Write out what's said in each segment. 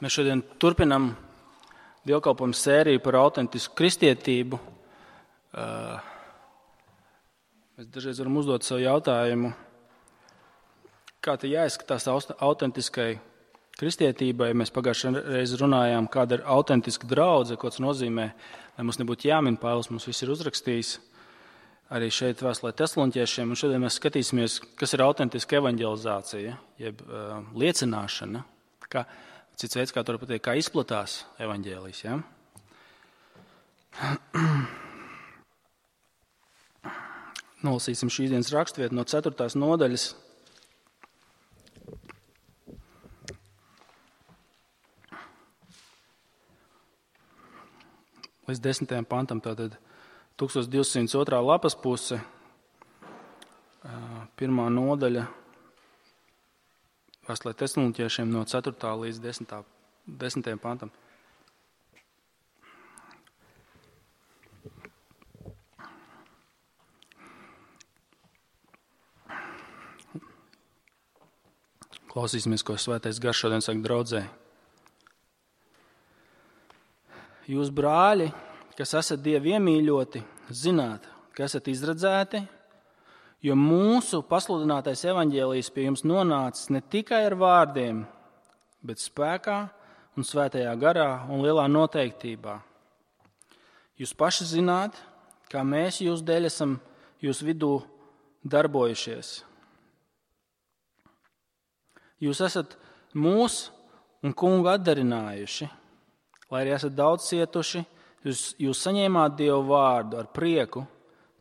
Mēs šodien turpinām dievkalpojumu sēriju par autentisku kristietību. Mēs dažreiz varam uzdot sev jautājumu, kā te jāizskatās autentiskai kristietībai. Mēs pagājušajā reizē runājām, kāda ir autentiska draudze, ko tas nozīmē, lai mums nebūtu jāmin. Pāvils mums viss ir uzrakstījis arī šeit vēstulē Tesaloniķiešiem. Un šodien mēs skatīsimies, kas ir autentiska evaņģelizācija, jeb liecināšana. Cits veids, kā to var pateikt, kā izplatās evaņģēlijs. Ja? Nolasīsim šīs dienas raksturvietu no 4. nodaļas. Līdz 10. pantam, tātad 1202. lapas puse, 1. nodaļa. Vēstulē Tesaloniķiešiem no 4. līdz 10. pantam. Klausīsimies, ko Svētais Gars šodien saka draudzē. Jūs, brāļi, kas esat Dievu iemīļoti, zināt, ka esat izredzēti, jo mūsu pasludinātais evaņģēlijs pie jums nonācis ne tikai ar vārdiem, bet spēkā un svētajā garā un lielā noteiktībā. Jūs paši zināt, kā mēs jūs dēļ esam jūs vidū darbojušies. Jūs esat mūs un kungu atdarinājuši, lai arī esat daudz cietuši, jūs saņēmāt Dievu vārdu ar prieku,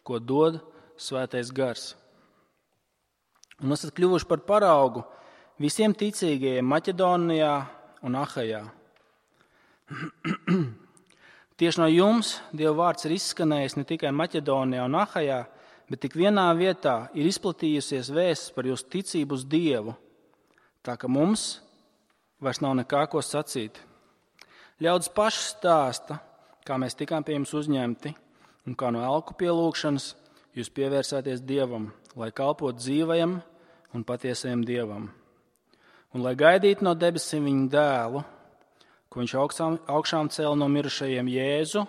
ko dod Svētais Gars. Un esat kļuvuši par paraugu visiem ticīgajiem Maķedonijā un Ahajā. Tieši no jums Dieva vārds ir izskanējis ne tikai Maķedonijā un Ahajā, bet tik vienā vietā ir izplatījusies vēsts par jūsu ticību uz Dievu, tā ka mums vairs nav nekā ko sacīt. Ļaudis paši stāsta, kā mēs tikām pie jums uzņemti un kā no elku pielūgšanas jūs pievērsāties Dievam, lai kalpotu dzīvajam un patiesajam Dievam. Un lai gaidītu no debesīm viņa dēlu, ko viņš augšām cēla no mirušajiem Jēzu,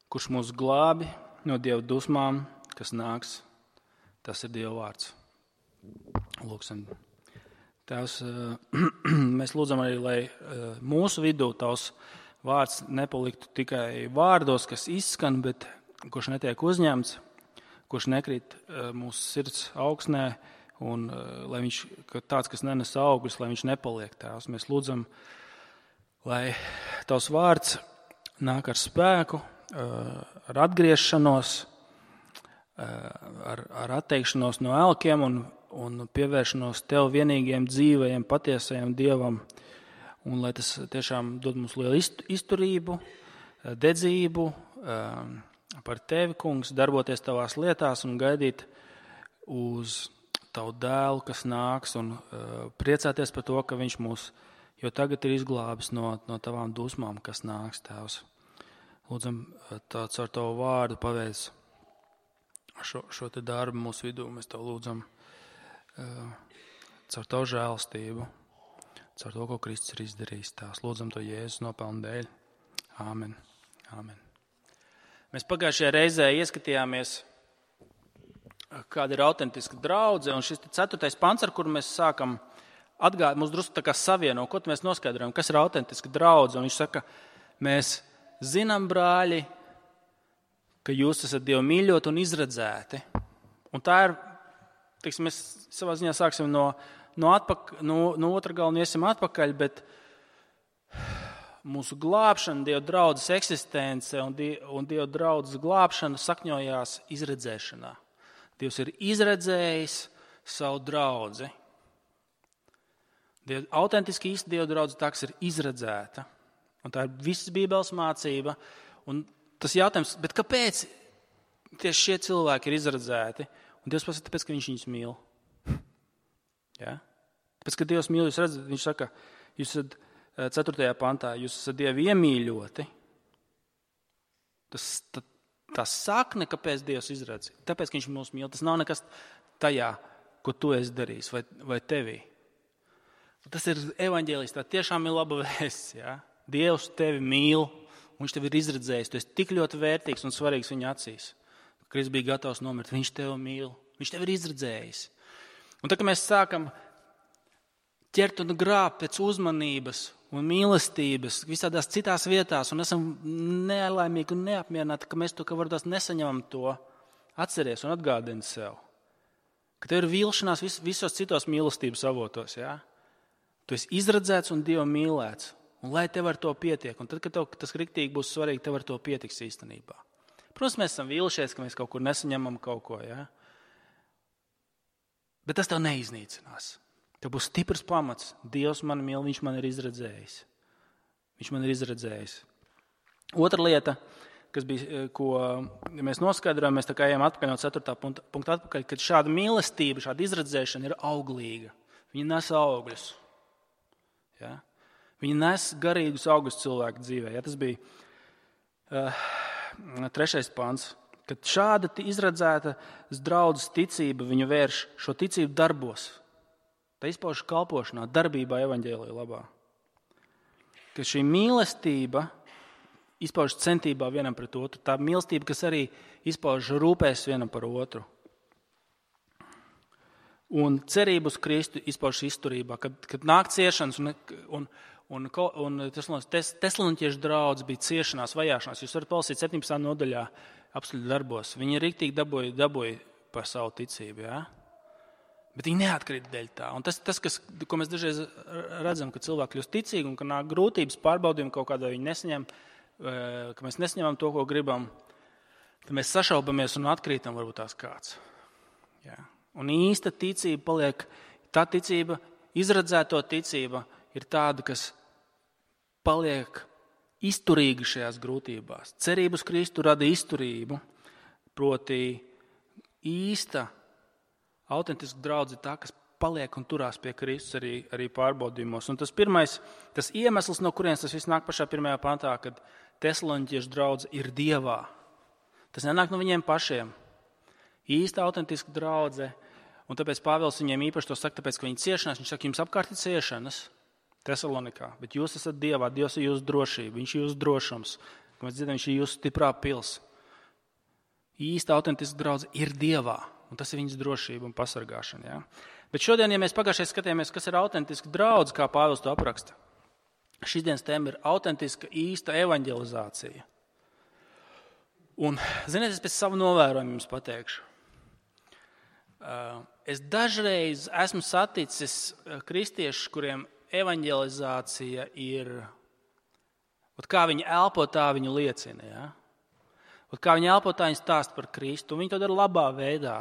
kurš mūs glābi no Dieva dusmām, kas nāks. Tas ir Dieva vārds. Lūksim. Tēvs, mēs lūdzam arī, lai mūsu vidū tavs vārds nepaliktu tikai vārdos, kas izskan, bet kurš netiek uzņemts, kurš nekrīt mūsu sirds augsnē, un lai viņš, tāds, kas nenes augļus, lai viņš nepaliek. Tēvs, mēs lūdzam, lai tavs vārds nāk ar spēku, ar atgriešanos, ar atteikšanos no elkiem un pievēršanos tev vienīgiem dzīvajiem, patiesajiem Dievam. Un lai tas tiešām dod mums lielu izturību, dedzību par tevi, kungs, darboties tavās lietās un gaidīt uz tavu dēlu, kas nāks, un priecāties par to, ka viņš mūs jau tagad ir izglābis no tavām dusmām, kas nāks, Tēvs. Lūdzam, tāds ar tavu vārdu paveic šo te darbu mūsu vidū. Mēs tev lūdzam caur tavu žēlastību, caur to, ko Kristus ir izdarījis. Tās lūdzam to Jēzus nopelnu dēļ. Āmen. Āmen. Mēs pagājušajā reizē ieskatījāmies, kāda ir autentiska draudze, un šis 4. pants, ar kuru mēs sākam atgādāt, mums drusku tā kā savieno, ko mēs noskaidrojam, kas ir autentiska draudze. Un viņš saka, mēs zinām, brāļi, ka jūs esat Dievu mīļoti un izredzēti. Un tā ir, teiksim, mēs savā ziņā sāksim no otra gala un iesim atpakaļ, bet mūsu glābšana, Dieva draudzes eksistence un Dieva draudzes glābšana sakņojās izredzēšanā. Dievs ir izredzējis savu draudzi. Autentiski īsta Dieva draudze tā, kas ir izredzēta. Un tā ir visas Bībeles mācība. Un tas jautājums, bet kāpēc tieši šie cilvēki ir izredzēti? Un Dievs pasaka, tāpēc, ka viņš viņus mīl. Ja? Tāpēc, ka Dievs mīl, jūs redzat, viņš saka, jūs esat 4. pantā, jūs esat Dievu iemīļoti. Tā sakne, kāpēc Dievs izredz, tāpēc, ka viņš mūs mīl, tas nav nekas tajā, ko tu esi darījis vai tevī. Tas ir evaņģēlijs, tā tiešām ir laba vēsts. Ja? Dievs tevi mīl, un viņš tevi ir izredzējis. Tu esi tik ļoti vērtīgs un svarīgs viņa acīs. Kristus bija gatavs nomirt, viņš tevi mīl, viņš tevi ir izredzējis. Un tad, kad mēs sākam ķert un grābt pēc uzmanības un mīlestības visādās citās vietās, un esam nelaimīgi un neapmierināti, ka mēs to, ka varbūt nesaņemam to, atceries un atgādini sev, ka tev ir vilšanās visos citos mīlestības avotos, ja? Tu esi izredzēts un Dievu mīlēts, un lai tev ar to pietiek, un tad, kad tev tas riktīgi būs svarīgi, tev ar to pietiks īstenībā. Protams, mēs esam vīlušies, ka mēs kaut kur nesaņemam kaut ko, ja? Bet tas tev neiznīcinās. Tev būs stiprs pamats. Dievs mani mīl, viņš man ir izredzējis. Viņš man ir izredzējis. Otra lieta, kas bija, ko mēs noskaidrojam, mēs tā kā ejam atpakaļ no 4. punkta atpakaļ, kad šāda mīlestība, šāda izredzēšana ir auglīga. Viņa nes augļus. Ja? Viņa nes garīgus augļus cilvēku dzīvē. Ja? Tas bija 3. pants. Kad šāda izredzēta draudzes ticība viņu vērš šo ticību darbos. Tā izpauž kalpošanā, darbībā evaņģēlija labā. Ka šī mīlestība izpauž centībā vienam pret otru. Tā mīlestība, kas arī izpauž rūpēs vienam par otru. Un cerību uz Kristu izpauž izturībā. Kad nāk ciešanas un Tesaloniķiešu draudz bija ciešanās, vajāšanās. Jūs varat palasīt 17. nodaļā apstuļu darbos. Viņi riktīgi dabūja par savu ticību. Ja? Bet viņi neatkrīt dēļ tā. Un tas ko mēs dažreiz redzam, ka cilvēki kļūst ticīgi un ka nāk grūtības, pārbaudījumi kaut kādā viņi nesaņem, ka mēs nesaņemam to, ko gribam, tad mēs sašaubamies un atkrītam varbūt tās kāds. Ja? Un īsta ticība paliek, tā ticība, izredzēto ticība ir tāda, kas paliek izturīga šajās grūtībās. Cerība uz Kristu rada izturību, proti īsta, autentiska draudze ir tā, kas paliek un turās pie Kristus arī pārbaudījumos. Un tas pirmais, tas iemesls, no kurienes tas viss nāk pašā 1. pantā, kad Tesaloniķiešu draudze ir Dievā. Tas nenāk no viņiem pašiem. Īsta, autentiska draudze, un tāpēc Pāvils viņiem īpaši to saka, tāpēc, ka viņi ciešanās, viņš saka, jums apkārt ir ciešanas Tesalonikā, bet jūs esat Dievā, Dievs ir jūsu drošība, viņš ir jūsu drošums, ka mēs dzirdam, viņš ir jūsu stiprā pils. Īsta, autentiska draudze ir Dievā, un tas ir viņas drošība un pasargāšana. Ja? Bet šodien, ja mēs pagājušajā skatījāmies, kas ir autentiska draudze, kā Pāvils to apraksta, šīs dienas tēma ir autentiska, īsta evaņģelizācija. Un, ziniet, es pēc savu novērojumu jums pateikšu. Es dažreiz esmu saticis kristiešus, kuriem evaņģelizācija ir, kā viņi elpo, tā viņi liecina. Ja? Kā viņi elpo, tā viņi stāsta par Kristu. Viņi to dara labā veidā,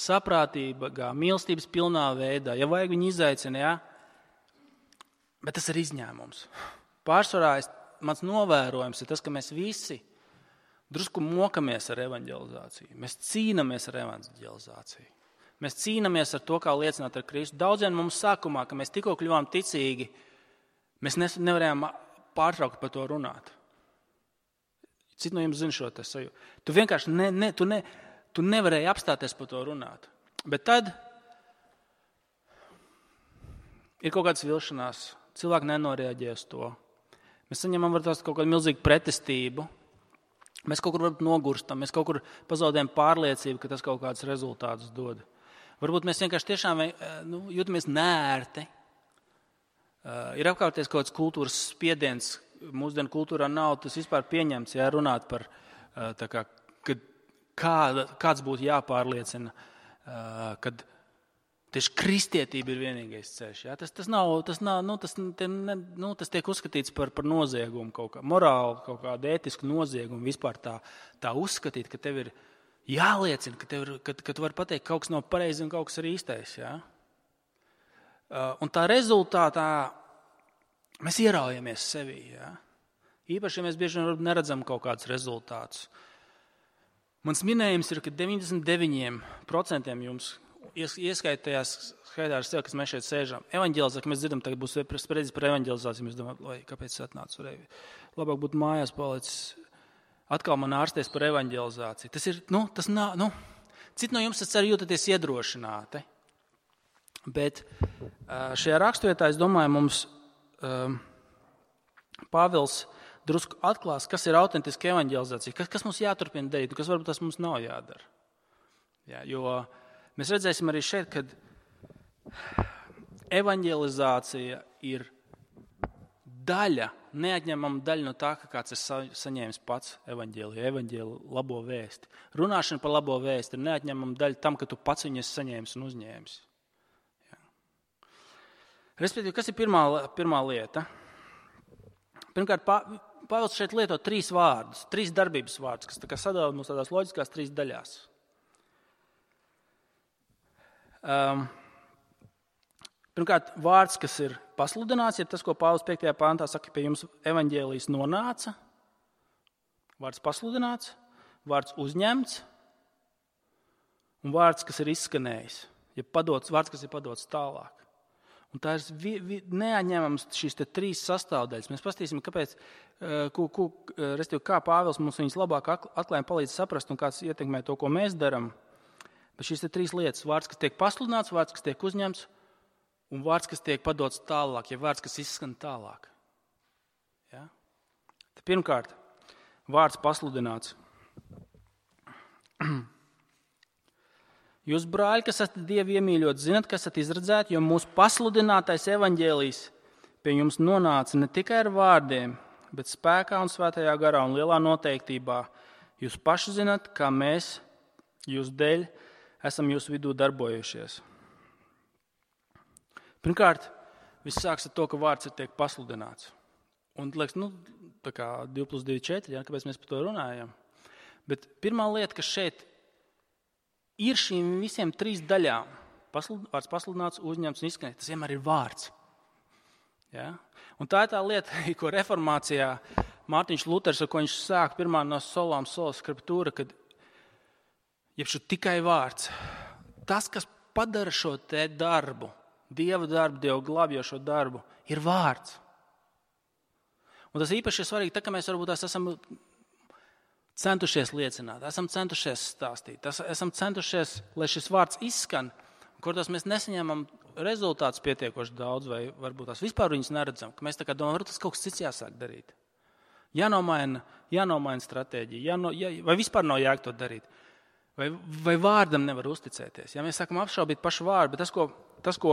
saprātīgā, mīlestības pilnā veidā. Ja vajag, viņi izaicina, ja? Bet tas ir izņēmums. Pārsvarā mans novērojums ir tas, ka mēs visi drusku mokamies ar evaņģelizāciju. Mēs cīnāmies ar evaņģelizāciju. Mēs cīnāmies ar to, kā liecināt ar Kristu. Daudziem mums sākumā, ka mēs tikko kļuvām ticīgi, mēs nevarējām pārtraukt par to runāt. Citi no jums zina šo te sajūtu. Tu vienkārši tu nevarēji apstāties par to runāt. Bet tad ir kaut kādas vilšanās. Cilvēki nenoreaģē uz to. Mēs saņemam kaut kādu milzīgu pretestību. Mēs kaut kur nogurstam, mēs kaut kur pazaudējam pārliecību, ka tas kaut kādus rezultātus dod. Varbūt mēs vienkārši tiešām jūtamies nērti. Ir apkārtēs kaut kāds kultūras spiediens. Mūsdienu kultūrā nav tas vispār pieņemts, ja runāt par kāds būtu jāpārliecina, kad tieši kristietība ir vienīgais ceļš. Ja? Tas tiek uzskatīts par noziegumu, kaut kā morāli, kaut kādu ētisku noziegumu, vispār tā uzskatīt, ka tev ir jāliecina, ka tu vari pateikt, ka kaut kas nav pareizi un kaut kas ir īstais. Ja? Un tā rezultātā mēs ieraujamies sevī. Ja? Īpaši, ja mēs bieži vien neredzam kaut kādus rezultātus. Mans minējums ir, ka 99% jums ieskaitījās skaitā ar sevi, kas mēs šeit sēžam. Evaņģelizācija, ka mēs dzirdam, tagad būs spredies par evaņģelizāciju. Mēs domājam, kāpēc es atnācu? Labāk būtu mājās palicis. Atkal man ārsties par evaņģelizāciju. Tas ir, citi no jums arī jūtaties iedrošināti. Bet šajā raksturvietā, es domāju, mums Pāvils drusku atklās, kas ir autentiska evaņģelizācija, kas mums jāturpina darīt, un kas varbūt tas mums nav jādara. Jā, jo mēs redzēsim arī šeit, ka evaņģelizācija ir daļa, neatņemama daļa no tā, ka kāds ir saņēmis pats evaņģēliju labo vēsti. Runāšana par labo vēsti ir neatņemama daļa tam, ka tu pats viņu esi saņēmis un uzņēmis. Jā. Respektīvi, kas ir pirmā lieta? Pirmkārt, Pāvils šeit lieto 3 vārdus, 3 darbības vārdus, kas tā kā sadala mums tādās loģiskās 3 daļās. Pirmkārt, vārds, kas ir pasludināts, ir tas, ko Pāvils 5. pāntā saka, pie jums evaņģēlijs nonāca. Vārds pasludināts, vārds uzņemts un vārds, kas ir izskanējis, vārds, kas ir padots tālāk. Un tā ir neatņemams šīs 3 sastāvdaļas. Mēs paskatīsim, kāpēc, kā Pāvils mums viņas labāk atklājumi palīdz saprast un kāds ietekmē to, ko mēs darām. Bet šīs 3 lietas, vārds, kas tiek pasludināts, vārds, kas tiek uzņemts un vārds, kas tiek padots tālāk, ja vārds, kas izskan tālāk. Ja? Tad pirmkārt, vārds pasludināts. Jūs, brāļi, kas esat Dievu iemīļot, zinat, kas esat izredzēti, jo mūsu pasludinātais evaņģēlijs pie jums nonāca ne tikai ar vārdiem, bet spēkā un svētajā garā un lielā noteiktībā. Jūs paši zinat, kā mēs jūs dēļ esam jūsu vidū darbojušies. Pirmkārt, viss sāks ar to, ka vārds tiek pasludināts. Un, liekas, tā kā 2 + 2 = 4, ja, kāpēc mēs par to runājam. Bet pirmā lieta, kas šeit ir šīm visiem 3 daļām. Vārds pasludināts, uzņemts un izskanēts. Tas vienmēr ir vārds. Ja? Un tā ir tā lieta, ko reformācijā Mārtiņš Luters, ar ko viņš sāk pirmā no solām sola skriptūra, kad jebšu tikai vārds. Tas, kas padara šo te darbu, Dieva darbu, Dievu glābjošo darbu, ir vārds. Un tas īpaši ir svarīgi, tā, ka mēs varbūt esam centušies liecināt, esam centušies stāstīt, esam centušies, lai šis vārds izskan, kur tos mēs nesaņemam rezultātus pietiekoši daudz, vai varbūt tās vispār viņus neredzam, ka mēs tā kā domājam, varbūt tas kaut kas cits jāsāk darīt. Jānomaina stratēģija, vai vispār nav jēga to darīt, vai vārdam nevar uzticēties. Ja mēs sākam apšaubīt pašu vārdu, bet tas, ko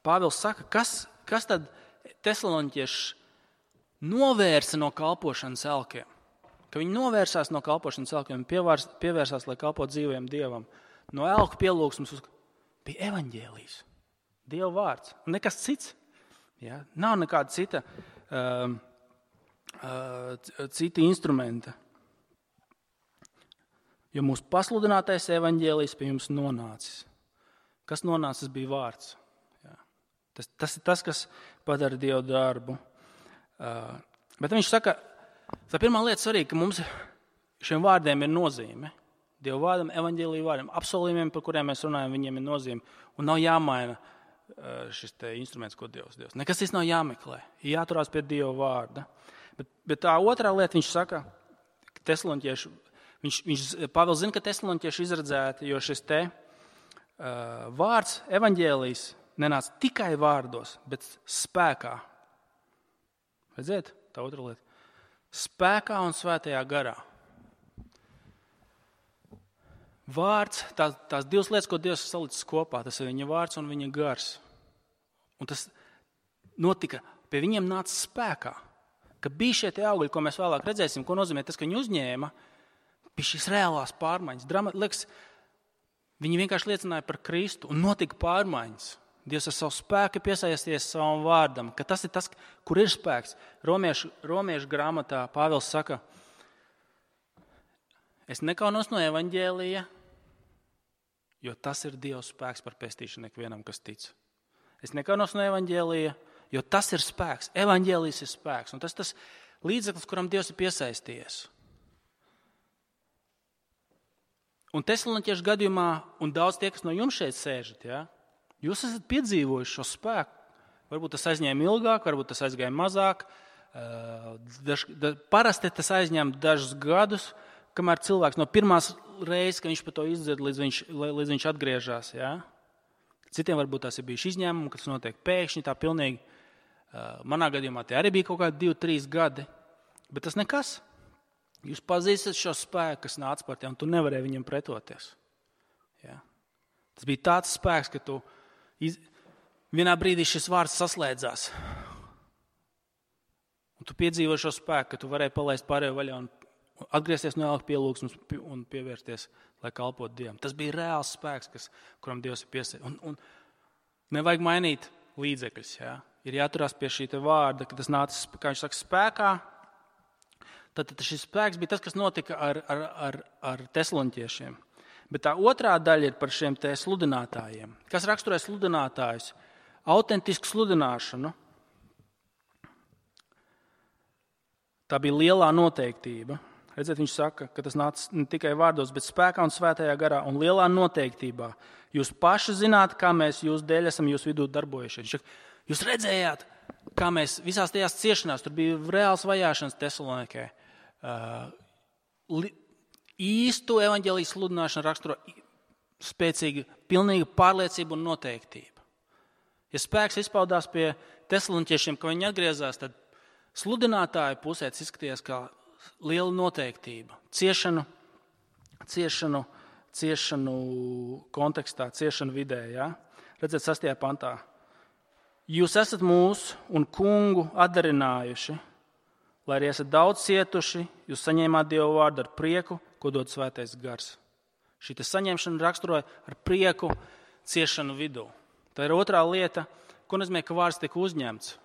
Pāvils saka, kas tad tesaloniķieši novērsa no kalpošanas elkiem. Ka viņi novērsās no kalpošanas elkiem un pievērsās, lai kalpot dzīvajam Dievam. No elku pielūgsmes bija evaņģēlijs, Dieva vārds. Un nekas cits. Ja? Nav nekāda cita instrumenta. Jo mūsu pasludinātais evaņģēlijs pie jums nonācis. Kas nonācis, bija vārds. Ja? Tas ir tas, kas padara Dievu darbu. Bet viņš saka, tā pirmā lieta svarīga, ka mums šiem vārdiem ir nozīme. Dieva vārdam, evaņģēlija vārdam, apsolījumiem, par kuriem mēs runājam, viņiem ir nozīme. Un nav jāmaina šis te instruments, ko Dievs. Nekas cits nav jāmeklē. Jāturās pie Dieva vārda. Bet tā otrā lieta, viņš saka, ka tesaloniķieši, Pāvils zina, ka tesaloniķieši izredzēti, jo šis te vārds, evaņģēlijs, nenāca tikai vārdos, bet spēkā. Redziet, tā otra lieta. Spēkā un svētajā garā. Vārds, tās 2 lietas, ko Dievs salicis kopā, tas ir viņa vārds un viņa gars. Un tas notika, pie viņiem nāca spēkā. Ka bija šie tie augļi, ko mēs vēlāk redzēsim, ko nozīmē tas, ka viņi uzņēma, bija šīs reālās pārmaiņas. Liekas, viņi vienkārši liecināja par Kristu un notika pārmaiņas. Dievs ar savu spēku piesaisties savam vārdam, ka tas ir tas, kur ir spēks. Romiešu grāmatā Pāvils saka, es nekaunos no evaņģēlija, jo tas ir Dieva spēks par pestīšanu ikvienam, kas tic. Es nekaunos no evaņģēlija, jo tas ir spēks. Evaņģēlijs ir spēks, un tas ir tas līdzeklis, kuram Dievs ir piesaisties. Un tesaloniķiešu gadījumā, un daudz tie, kas no jums šeit sēžat, ja, jūs esat piedzīvojuši šo spēku. Varbūt tas aizņēma ilgāk, varbūt tas aizgāja mazāk. Parasti tas aizņem dažus gadus, kamēr cilvēks no pirmās reizes, kad viņš par to izdzird, līdz viņš atgriežas. Ja? Citiem varbūt tās ir bijuši izņēmumi, kas notiek pēkšņi, tā pilnīgi. Manā gadījumā tie arī bija kaut kādi 2-3 gadi, bet tas nekas. Jūs pazīstat šo spēku, kas nāca par tevi, un tu nevarēji viņam pretoties. Ja? Tas bija tāds spēks, ka tu vienā brīdī šis vārds saslēdzās. Un tu piedzīvo šo spēku, ka tu varēji palaist pārējo vaļā un atgriezties no ēlka pielūgsmes un pievērsties, lai kalpotu Dievam. Tas bija reāls spēks, kuram Dievs ir piesaists. Un nevajag mainīt līdzekļus. Ja? Ir jāturās pie šī vārda, ka tas nāca, kā viņš saka, spēkā. Tad šis spēks bija tas, kas notika ar tesaloniķiešiem. Bet tā otrā daļa ir par šiem te sludinātājiem. Kas raksturē sludinātājus? Autentisku sludināšanu. Tā bija lielā noteiktība. Redziet, viņš saka, ka tas nāca ne tikai vārdos, bet spēkā un svētajā garā un lielā noteiktībā. Jūs paši zināt, kā mēs jūs dēļ esam jūs vidū darbojušies. Jūs redzējāt, kā mēs visās tajās ciešanās, tur bija reāls vajāšanas Tesalonikē. Īstu evaņģēlijas sludināšanu raksturo spēcīga, pilnīga pārliecība un noteiktība. Ja spēks izpaudās pie tesaloniķiešiem, ka viņi atgriezās, tad sludinātāju pusē izskatījās kā liela noteiktība. Ciešanu kontekstā, ciešanu vidē. Ja? Redziet, 6. pantā. Jūs esat mūsu un kungu atdarinājuši, lai arī esat daudz cietuši, jūs saņēmāt Dieva vārdu ar prieku, ko dod svētais gars. Šī saņemšana raksturoja ar prieku ciešanu vidū. Tā ir otrā lieta, ko nozīmē, ka vārds tiek uzņemts.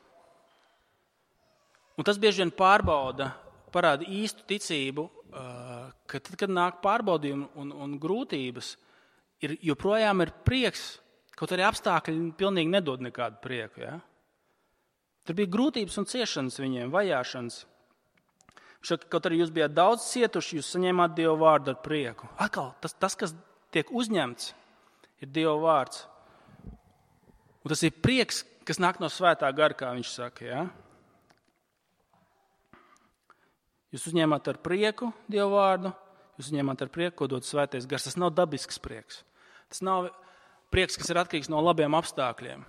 Un tas bieži vien parāda īstu ticību, ka tad, kad nāk pārbaudījumi un grūtības, joprojām ir prieks, kaut arī apstākļi pilnīgi nedod nekādu prieku. Ja? Tur bija grūtības un ciešanas viņiem, vajāšanas. Kaut arī jūs bijāt daudz cietuši, jūs saņēmāt Dieva vārdu ar prieku. Atkal, tas, kas tiek uzņemts, ir Dieva vārds. Un tas ir prieks, kas nāk no svētā gara, kā viņš saka. Ja? Jūs uzņēmāt ar prieku Dieva vārdu, jūs uzņēmāt ar prieku, ko dod svētais gars. Tas nav dabisks prieks. Tas nav prieks, kas ir atkarīgs no labiem apstākļiem.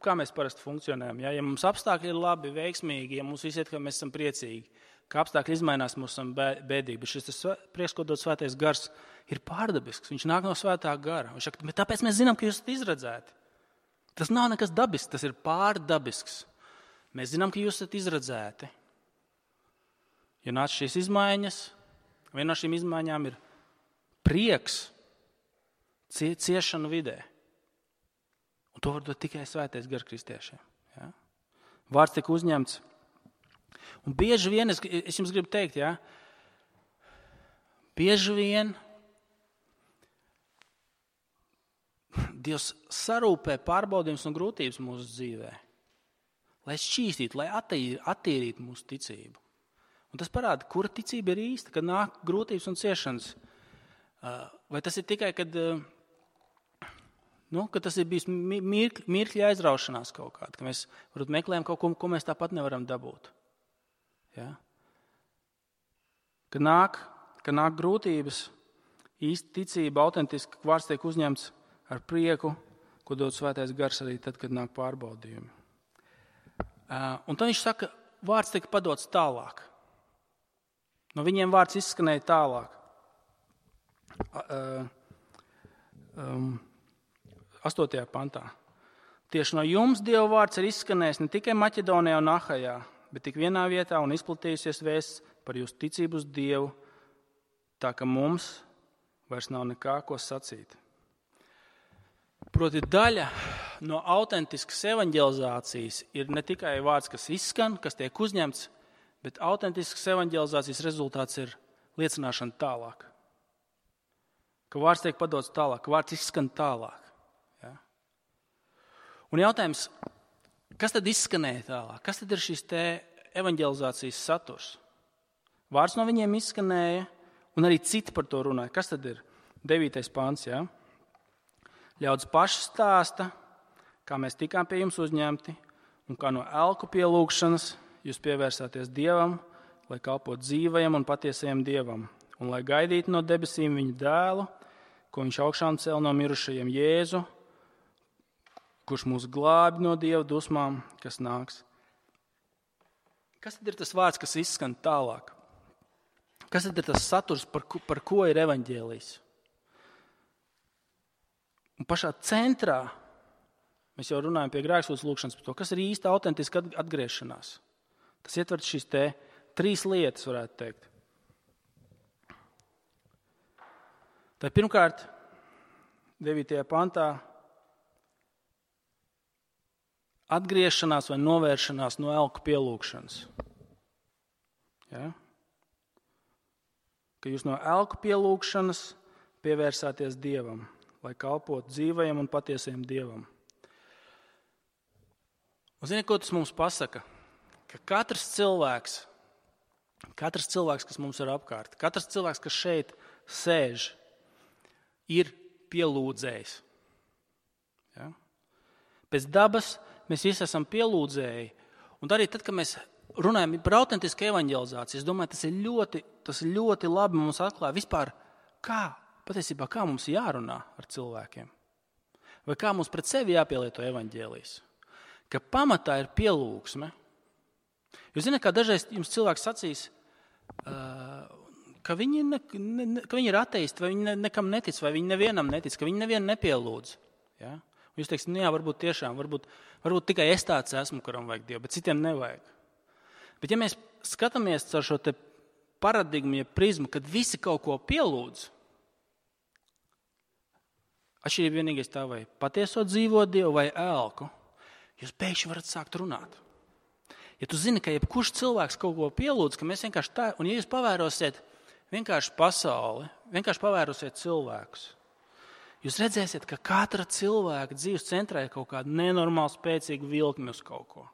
Kā mēs parasti funkcionējam? Ja mums apstākļi ir labi, veiksmīgi, ja mums visi iet, ka mēs esam priecīgi, ka apstākļi izmainās, mums esam bēdīgi. Bet šis prieks, ko dod svētais gars, ir pārdabisks. Viņš nāk no svētā gara. Viņš saka, bet tāpēc mēs zinām, ka jūs esat izredzēti. Tas nav nekas dabisks, tas ir pārdabisks. Mēs zinām, ka jūs esat izredzēti. Ja nāc šīs izmaiņas, viena no šīm izmaiņām ir prieks ciešanu vidē. Un to var dot tikai svētais gars kristiešiem. Ja? Vārds tika uzņemts. Un bieži vien, es jums gribu teikt, ja? Bieži vien Dievs sarūpē pārbaudījumus un grūtības mūsu dzīvē, lai šķīstītu, lai attīrītu mūsu ticību. Un tas parāda, kura ticība ir īsta, kad nāk grūtības un ciešanas. Vai tas ir tikai, kad tas ir bijis mirkļa aizraušanās kaut kāda, ka mēs varbūt meklējam kaut ko mēs tāpat nevaram dabūt. Ja? Kad nāk grūtības, īsta ticība, autentiski vārds tiek uzņemts ar prieku, ko dod svētais gars arī tad, kad nāk pārbaudījumi. Un tad viņš saka, vārds tika padots tālāk. No viņiem vārds izskanēja tālāk. 8. pantā. Tieši no jums Dieva vārds ir izskanējis ne tikai Maķedonijā un Ahajā, bet tik vienā vietā un izplatījusies vēsts par jūsu ticību uz Dievu, tā ka mums vairs nav nekā ko sacīt. Proti daļa no autentiskas evaņģelizācijas ir ne tikai vārds, kas izskan, kas tiek uzņemts, bet autentiskas evaņģelizācijas rezultāts ir liecināšana tālāk. Ka vārds tiek padots tālāk, ka vārds izskan tālāk. Ja? Un jautājums, kas tad izskanēja tālāk? Kas tad ir šīs te evaņģelizācijas saturs? Vārds no viņiem izskanēja, un arī citi par to runāja. Kas tad ir? 9. pants, ja? Ļaudis paši stāsta, kā mēs tikām pie jums uzņemti, un kā no elku pielūgšanas jūs pievērsāties Dievam, lai kalpotu dzīvajam un patiesajam Dievam, un lai gaidītu no debesīm viņa dēlu, ko viņš augšām cēl no mirušajiem Jēzu, kurš mūs glābj no Dieva dusmām, kas nāks. Kas tad ir tas vārds, kas izskan tālāk? Kas tad ir tas saturs, par ko ir evaņģēlijs? Un pašā centrā mēs jau runājam pie grēksūdzes lūgšanas par to, kas ir īsta autentiska atgriešanās. Tas ietver šīs 3 lietas, varētu teikt. Tā pirmkārt, 9. pantā, atgriešanās vai novēršanās no elku pielūgšanas. Ja? Ka jūs no elku pielūgšanas pievērsāties Dievam, lai kalpotu dzīvajam un patiesajam Dievam. Un ziniet, ko tas mums pasaka? Ka katrs cilvēks, kas mums ir apkārt, katrs cilvēks, kas šeit sēž, ir pielūdzējs. Ja? Pēc dabas mēs visi esam pielūdzēji. Un arī tad, kad mēs runājam par autentisku evaņģelizāciju, es domāju, tas ļoti labi mums atklāja vispār, patiesībā kā mums jārunā ar cilvēkiem. Vai kā mums pret sevi jāpielieto evaņģēlijs. Ka pamatā ir pielūgsme. Jūs zināt, kā dažreiz jums cilvēks sacīs, ka viņi ir ateisti, vai viņi nekam netic, vai viņi nevienam netic, ka viņi nevienu nepielūdz. Ja? Jūs teiksiet, jā, varbūt tiešām, varbūt tikai es tāds esmu, kuram vajag Dievu, bet citiem nevajag. Bet ja mēs skatāmies ar šo te paradigmu, ja prizmu, kad visi kaut ko pielūdz, atšķirība vienīgais tā vai patieso dzīvo Dievu vai elku, jūs pēkšņi varat sākt runāt. Ja tu zini, ka jebkurš cilvēks kaut ko pielūdz, ka mēs vienkārši tā, un ja jūs pavērosiet vienkārši pasauli, vienkārši pavērosiet cilvēkus, jūs redzēsiet, ka katra cilvēka dzīves centrā ir kaut kāda nenormāli spēcīga vilkme uz kaut ko.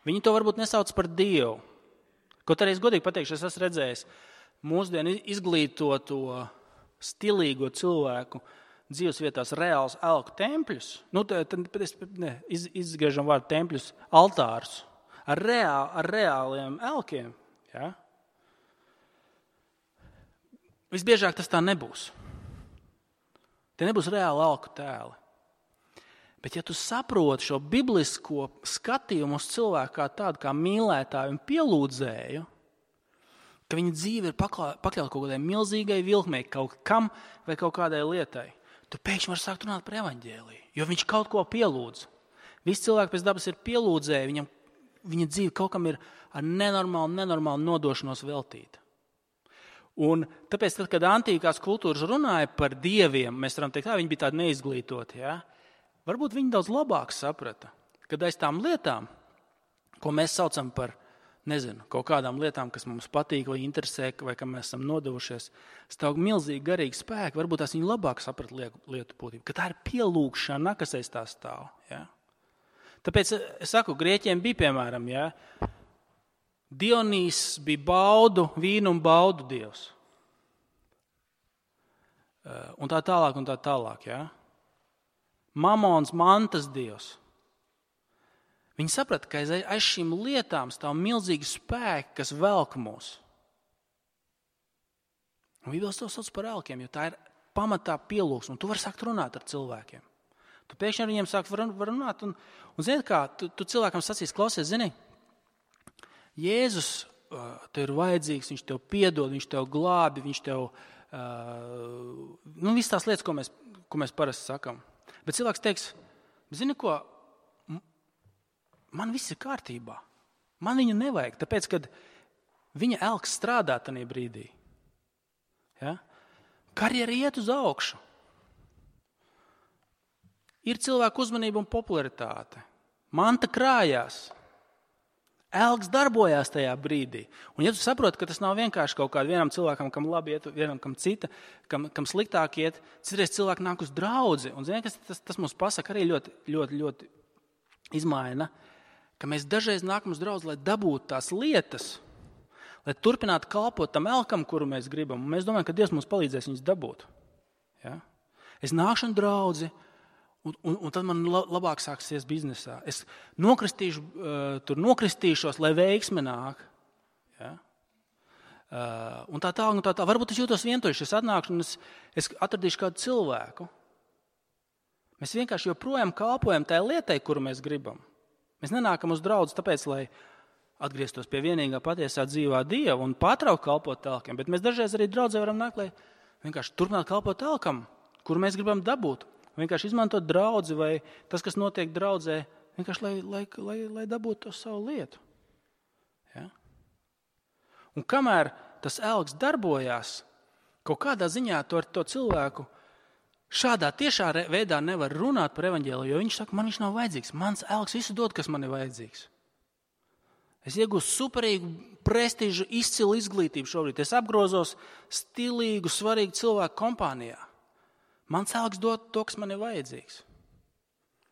Viņi to varbūt nesauc par Dievu. Kaut arī es godīgi pateikšu, es esmu redzējis mūsdienu izglītoto, stilīgo cilvēku dzīves vietās reāls elku tempļus. Izgriežam vārdu tempļus, altārus ar reāliem elkiem. Ja? Visbiežāk tas tā nebūs. Tie nebūs reāli elku tēli. Bet ja tu saproti šo biblisko skatījumu uz cilvēku kā tādu, kā mīlētāju un pielūdzēju, ka viņa dzīve ir pakļauta kaut kādai milzīgai vilkmei, kaut kam vai kaut kādai lietai, tu pēkšņi vari sākt runāt par evaņģēliju, jo viņš kaut ko pielūdz. Visi cilvēki pēc dabas ir pielūdzēji, viņa dzīve kaut kam ir ar nenormālu nodošanos veltīta. Un tāpēc, kad antīkās kultūras runāja par dieviem, mēs varam teikt, viņi bija tādi neizglītoti. Ja? Varbūt viņi daudz labāk saprata, kad aiz tām lietām, ko mēs saucam par, kaut kādām lietām, kas mums patīk vai interesē, vai kam mēs esam nodevušies, stāv milzīgi garīgi spēki, varbūt tās viņi labāk saprata lietu būtību, ka tā ir pielūgšana, kas aiz tā stāv. Ja? Tāpēc es saku, grieķiem bija, piemēram, ja, Dionīs bija vīnu un baudu dievs. Un tā tālāk. Ja? Mamons, mantas dievs. Viņi saprata, ka aiz šīm lietām stāv milzīgi spēki, kas velk mūs. Un Bībeles to sauc par elkiem, jo tā ir pamatā pielūgsme, un tu vari sākt runāt ar cilvēkiem. Tu pēkšņi ar viņiem sākt var runāt, un zini kā, tu cilvēkam sacīs, klausies, zini, Jēzus tev ir vajadzīgs, viņš tev piedod, viņš tev glābi, viņš tev, visas tās lietas, ko mēs parasti sakam. Bet cilvēks teiks, zini ko, man viss ir kārtībā, man viņu nevajag, tāpēc, kad viņa elks strādā tajā brīdī. Ja? Karjera iet uz augšu. Ir cilvēku uzmanība un popularitāte. Manta krājās. Elks darbojās tajā brīdī. Un ja tu saproti, ka tas nav vienkārši kaut kādam vienam cilvēkam, kam labi iet, vienam kam cita, kam sliktāk iet, citreiz cilvēki nāk uz draudzi. Un zini, tas mums pasaka arī ļoti izmaina, ka mēs dažreiz nākam uz draudzi, lai dabūtu tās lietas, lai turpinātu kalpot tam elkam, kuru mēs gribam. Un mēs domājam, ka Dievs mums palīdzēs viņus dabūt. Ja? Es nākšu un draudzi, un tad man labāk sāksies biznesā. Es nokristīšos, lai veiksme nāk. Ja? Un tā. Varbūt es jūtos vientuļš, es atnākšu un es atradīšu kādu cilvēku. Mēs vienkārši joprojām kalpojam tajā lietai, kuru mēs gribam. Mēs nenākam uz draudzi tāpēc, lai atgrieztos pie vienīgā patiesā dzīvā Dieva un pārtraukt kalpot telkiem, bet mēs dažreiz arī draudzē varam nākt, lai vienkārši turpināt kalpot telkam, kuru mēs gribam dabūt. Vienkārši izmantot draudzi vai tas, kas notiek draudzē, vienkārši lai dabūtu to savu lietu. Ja? Un kamēr tas elks darbojās, kaut kādā ziņā to ar to cilvēku šādā tiešā veidā nevar runāt par evaņģēliju, jo viņš saka, man viņš nav vajadzīgs. Mans elks visu dod, kas man ir vajadzīgs. Es iegūstu superīgu, prestižu, izcilu izglītību šobrīd. Es apgrozos stilīgu, svarīgu cilvēku kompānijā. Mans elks dod to, kas man ir vajadzīgs.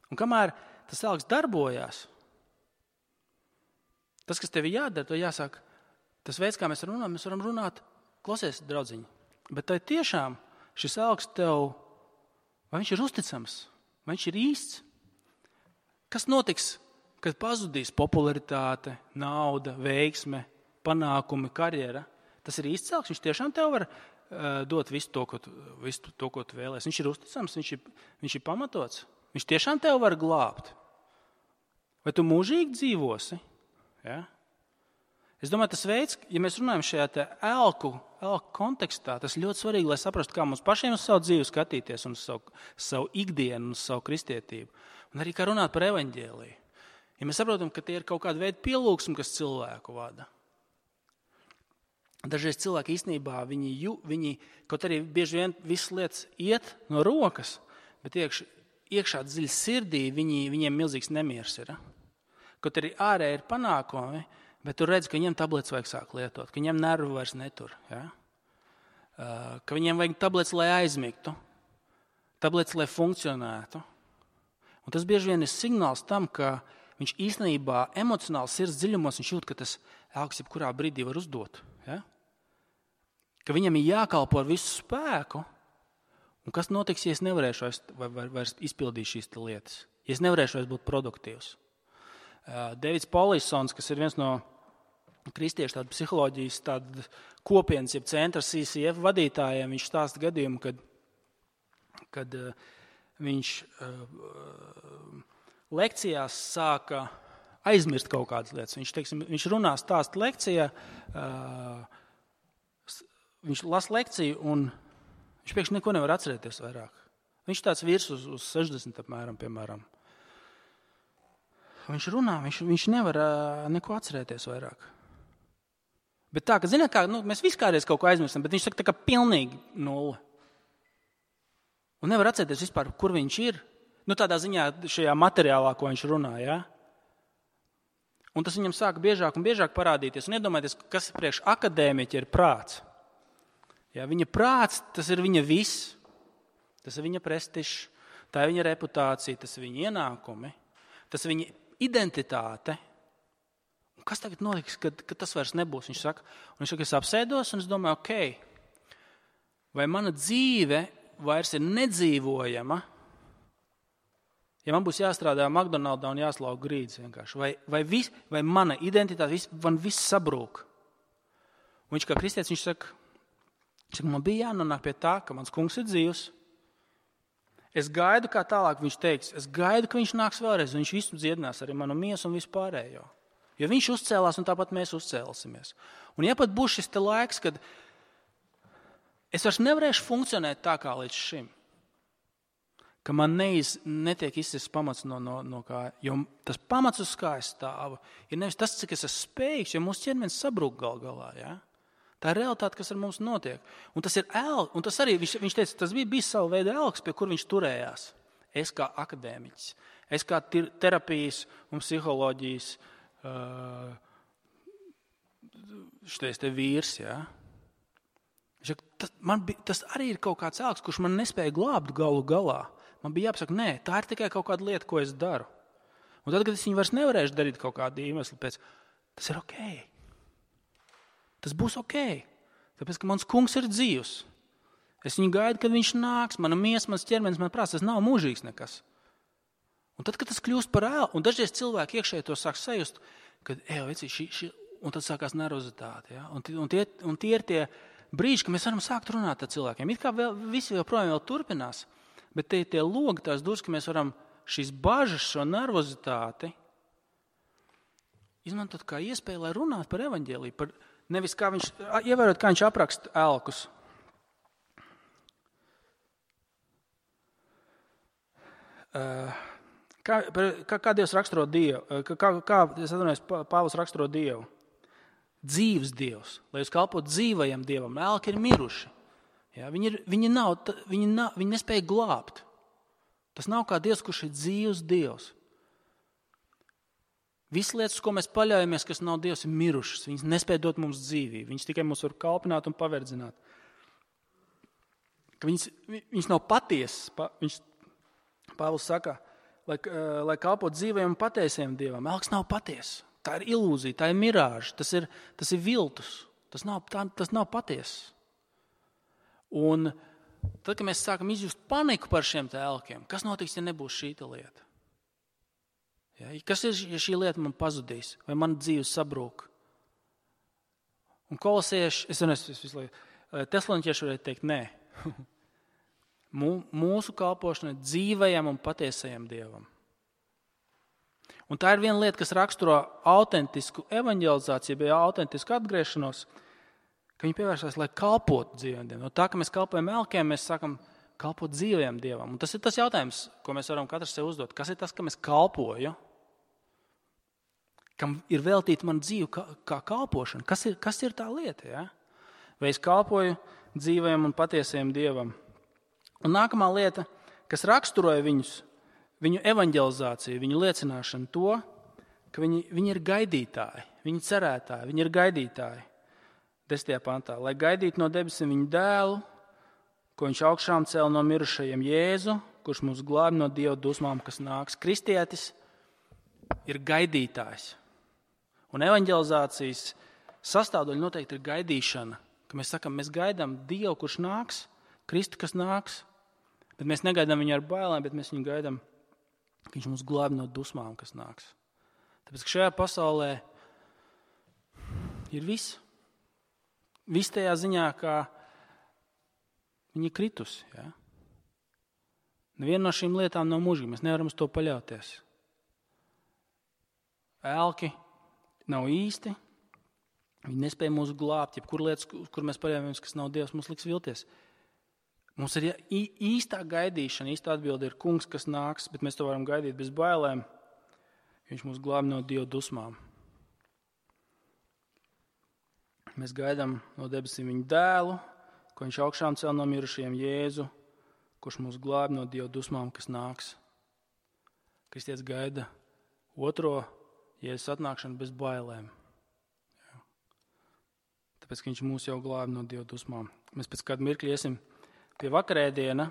Un kamēr tas elks darbojās, tas, kas tev ir jādara, to jāsāk. Tas veids, kā mēs varam runāt, klausies, draudziņi, bet tai tiešām šis elks tev, vai viņš ir uzticams, vai viņš ir īsts? Kas notiks, kad pazudīs popularitāte, nauda, veiksme, panākumi, karjera? Tas ir īsts elks, viņš tiešām tev var dot visu to, ko tu vēlēs. Viņš ir uzticams, viņš ir pamatots. Viņš tiešām tev var glābt. Vai tu mūžīgi dzīvosi? Ja? Es domāju, tas veids, ja mēs runājam šajā elku kontekstā, tas ļoti svarīgi, lai saprastu, kā mums pašiem uz savu dzīvi skatīties un uz savu ikdienu, uz savu kristietību. Un arī kā runāt par evaņģēliju. Ja mēs saprotam, ka tie ir kaut kāda veida pielūgsmi, kas cilvēku vada. Dažreiz cilvēki īstenībā, viņi kaut arī bieži vien visas lietas iet no rokas, bet iekšā dziļi sirdī viņiem milzīgs nemieris ir. Kaut arī ārē ir panākumi, bet tu redzi, ka viņiem tabletes vajag sāk lietot, ka viņiem nervu vairs netur. Ja? Ka viņiem vajag tabletes, lai aizmigtu, tabletes, lai funkcionētu. Un tas bieži vien ir signāls tam, ka viņš īstenībā emocionāli sirds dziļumos viņš jūt, ka tas elks jebkurā brīdī var uzdot. Ja? Ka viņam ir jākalpo ar visu spēku, un kas notiks, ja es nevarēšu vairs izpildīt šīs lietas, ja es nevarēšu vairs būt produktīvs. Davids Polisons, kas ir viens no kristiešu psiholoģijas kopienas, jeb centra CCF vadītājiem, viņš stāsta gadījumu, kad viņš lekcijās sāka aizmirst kaut kādas lietas. Viņš runā stāsta lekcijā, viņš lasa lekciju un viņš pēkšņi neko nevar atcerēties vairāk. Viņš tāds virs uz 60 apmēram, piemēram. Viņš runā, viņš nevar neko atcerēties vairāk. Bet tā, ka zināt kā, mēs viskāries kaut ko aizmirstam, bet viņš saka tā kā pilnīgi nulle. Un nevar atcerēties vispār, kur viņš ir. Tādā ziņā šajā materiālā, ko viņš runā, ja? Un tas viņam sāka biežāk un biežāk parādīties. Un iedomājieties, kas priekš akadēmiķa ir prāts. Ja, viņa prāts, tas ir viņa viss. Tas ir viņa prestižs, tā ir viņa reputācija, tas ir viņa ienākumi, tas ir viņa identitāte. Un kas tagad notiks, kad tas vairs nebūs? Viņš saka, es apsēdos un es domāju, ok, vai mana dzīve vairs ir nedzīvojama, ja man būs jāstrādā McDonaldā un jāslauka grīdas vienkārši, vai mana identitāte, man viss sabrūk. Un viņš kā kristietis, viņš saka, man bija jānonāk pie tā, ka mans kungs ir dzīvs. Es gaidu, kā tālāk viņš teiks, es gaidu, ka viņš nāks vēlreiz, un viņš visu dziedinās arī manu miesu un visu pārējo. Jo viņš uzcēlās, un tāpat mēs uzcēlsimies. Un ja pat būs šis te laiks, kad es vairs nevarēšu funkcionēt tā kā līdz šim, ka man netiek izsists pamats no kā, jo tas pamats, uz kā es stāvu, ir nevis tas, cik es esmu spējīgs, jo mūsu ķermenis sabrūk galā, ja? Tā ir realitāte, kas ar mums notiek. Un tas ir elks, un tas arī, viņš teica, tas bija savu veidu elks, pie kur viņš turējās. Es kā akadēmiķis, es kā terapijas un psiholoģijas šitais te vīrs, ja? Tas arī ir kaut kāds elks, kurš man nespēja glābt galu galā. Man bija jāpasaka, nē, tā ir tikai kaut kāda lieta, ko es daru. Un tad, kad es viņu vairs nevarēšu darīt kaut kādu iemeslu pēc, tas ir ok. Tas būs ok, tāpēc, ka mans kungs ir dzīvs. Es viņu gaidu, kad viņš nāks, mana miesa, mans ķermenis, man prāts, tas nav mūžīgs nekas. Un tad, kad tas kļūst par ēlu, un dažreiz cilvēki iekšēji to sāk sajust, kad, un tad sākās nervozitāte. Ja? Un tie ir tie brīži, ka mēs varam sākt runāt ar cilvēkiem. It kā visi joprojām vēl turpinās, Bet tie logi, tās durvis, ka mēs varam šīs bažas, šo nervozitāti izmantot kā iespēju, lai runātu par evaņģēliju. Nevis kā viņš, ievērot, kā viņš apraksta elkus. Kā Dievs raksturo Dievu? Pāvils raksturo Dievu? Dzīves Dievs, lai jūs kalpotu dzīvajam Dievam. Elki ir miruši. Ja, viņi nespēja glābt. Tas nav kā Dievs, kurš ir dzīves Dievs. Visas lietas, ko mēs paļaujamies, kas nav Dievs, ir mirušas. Viņas nespēja dot mums dzīvību. Viņas tikai mūs var kalpināt un paverdzināt. Viņas nav patiesas. Pāvils saka, lai kalpot dzīvajam un patiesajam Dievam. Elks nav patiesa. Tā ir ilūzija, tā ir mirāža, tas ir viltus. Tas nav patiesa. Un tad, kad mēs sākam izjust paniku par šiem elkiem, kas notiks, ja nebūs šī lieta? Ja, kas ir, ja šī lieta man pazudīs, vai man dzīve sabrūk? Un kolosieši, Tesaloniķieši varētu teikt, nē. Mūsu kalpošana ir dzīvajam un patiesajam Dievam. Un tā ir viena lieta, kas raksturo autentisku evaņģelizāciju, vai autentisku atgriešanos, ka viņi pievērsās, lai kalpotu dzīvajam Dievam. No tā, ka mēs kalpojam elkiem, mēs sākam kalpot dzīvajam Dievam. Un tas ir tas jautājums, ko mēs varam katrs sev uzdot. Kas ir tas, ka mēs kalpoju? Kam ir veltīta man dzīve kā kalpošana? Kas ir tā lieta? Ja? Vai es kalpoju dzīvajam un patiesajam Dievam? Un nākamā lieta, kas raksturoja viņu evaņģelizāciju, viņu liecināšanu to, ka viņi ir gaidītāji, viņi cerētāji, viņi ir gaidītāji. 10. pantā, lai gaidītu no debesīm viņu dēlu, ko viņš augšām cēla no mirušajiem, Jēzu, kurš mūs glābi no Dieva dusmām, kas nāks. Kristietis ir gaidītājs. Un evaņģelizācijas sastāvdaļa noteikti ir gaidīšana, ka mēs sakam, mēs gaidām Dievu, kurš nāks, Kristu, kas nāks, bet mēs negaidām viņu ar bailēm, bet mēs viņu gaidām, ka viņš mūs glābi no dusmām, kas nāks. Tāpēc, ka šajā pasaulē ir viss. Viss tajā ziņā, kā viņi ir kritusi. Ja? Neviena no šīm lietām nav mūžīga. Mēs nevaram uz to paļauties. Elki nav īsti. Viņi nespēja mūs glābt. Jebkur lietas, kur mēs paļaujamies, kas nav Dievs, mums liks vilties. Mums ir īstā gaidīšana, īstā atbilde ir kungs, kas nāks, bet mēs to varam gaidīt bez bailēm. Viņš mūs glābi no Dieva dusmām. Mēs gaidām no debesīm viņu dēlu, ko viņš augšām cēla no mirušajiem, Jēzu, kurš mūs glābi no Dieva dusmām, kas nāks. Kristietis gaida otro Jēzus atnākšanu bez bailēm. Jā. Tāpēc, ka viņš mūs jau glābi no Dieva dusmām. Mēs pēc kādu mirkli iesim pie vakarēdiena.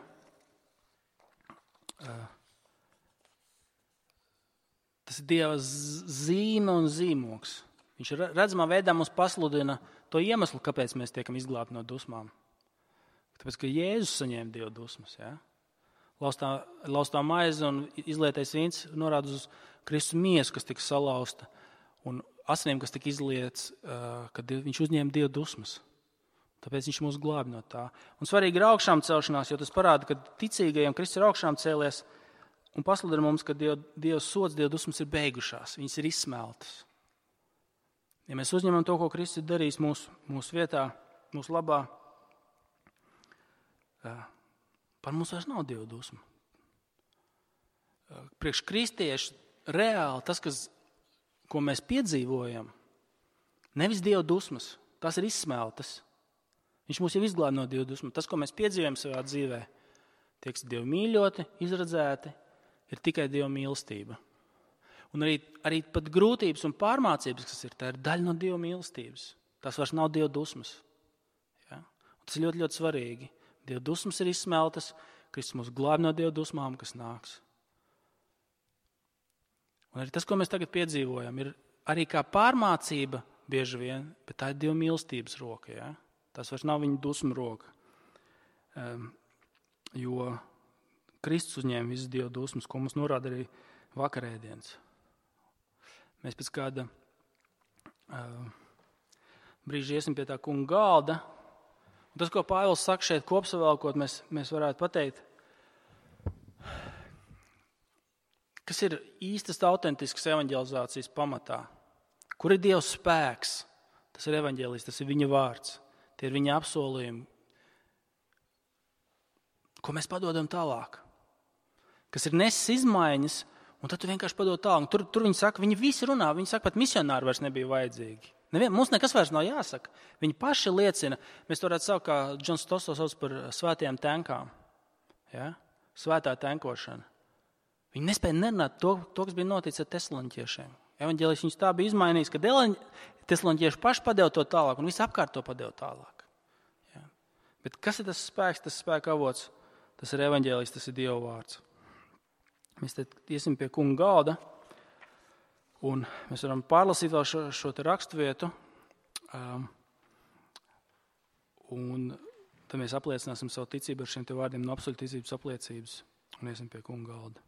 Tas ir Dieva zīme un zīmoks. Viņš redzamā veidā mums pasludina to iemeslu, kāpēc mēs tiekam izglābti no dusmām. Tāpēc, ka Jēzus saņēma Dieva dusmas. Ja? Laustā maize un izlietais vīns norāda uz Kristus miesu, kas tika salauzta, un asinīm, kas tika izlietas, kad viņš uzņēma Dieva dusmas. Tāpēc viņš mūs glābi no tā. Un svarīgi ir augšām celšanās, jo tas parāda, ka ticīgajiem Kristus ir augšām cēlies un pasludina mums, ka Dieva sods, Dieva dusmas ir beigušās, viņas ir izsmeltas. Ja mēs uzņemam to, ko Kristus ir darījis mūsu vietā, mūsu labā, par mums vairs nav Dieva dusma. Priekš kristiešu reāli tas, ko mēs piedzīvojam, nevis Dieva dusmas, tās ir izsmeltas. Viņš mūs jau izglābi no Dieva dusmas. Tas, ko mēs piedzīvojam savā dzīvē, tiek Dievu mīļoti, izredzēti, ir tikai Dieva mīlestība. Un arī pat grūtības un pārmācības, kas ir, tā ir daļa no Dieva mīlestības. Tas vairs nav Dieva dusmas. Ja? Tas ir ļoti, ļoti svarīgi. Dieva dusmas ir izsmeltas, Kristus mūs glābi no Dieva dusmām, kas nāks. Un arī tas, ko mēs tagad piedzīvojam, ir arī kā pārmācība bieži vien, bet tā ir Dieva mīlestības roka. Ja? Tas vairs nav viņa dusmu roka. Jo Kristus uzņēma visas Dieva dusmas, ko mums norāda arī vakarēdienas. Mēs pēc kāda brīža iesim pie tā kunga galda. Un tas, ko Pāvils saka šeit kopsavēlkot, mēs varētu pateikt, Kas ir īstas, autentiskas evaņģelizācijas pamatā? Kur ir Dieva spēks? Tas ir evaņģēlijs, tas ir viņa vārds. Tie ir viņa apsolījumi. Ko mēs padodam tālāk? Kas ir nesis izmaiņas, un tad tu vienkārši padod tālāk. Tur viņi saka, viņi visi runā, viņi saka, pat misionāri vairs nebija vajadzīgi. Mums nekas vairs nav jāsaka. Viņi paši liecina, mēs to varētu saukt, kā Džons Stoss sauc par svētajām tenkām. Ja? Svētā tenkošana. Viņi nespēja nerunāt to, kas bija noticis ar tesaloniķiešiem. Evaņģēlijs viņus tā bija izmainījis, ka tesaloniķieši paši padeva to tālāk un visi apkārt to padeva tālāk. Ja? Bet kas ir tas spēks, tas spēka avots? Tas ir evaņģēlijs, tas ir Dieva vārds. Mēs te iesim pie kunga galda, un mēs varam pārlasīt vēl šo te raksturvietu, un tad mēs apliecināsim savu ticību ar šiem te vārdiem no apstuļu ticības apliecības, un iesim pie kunga galda.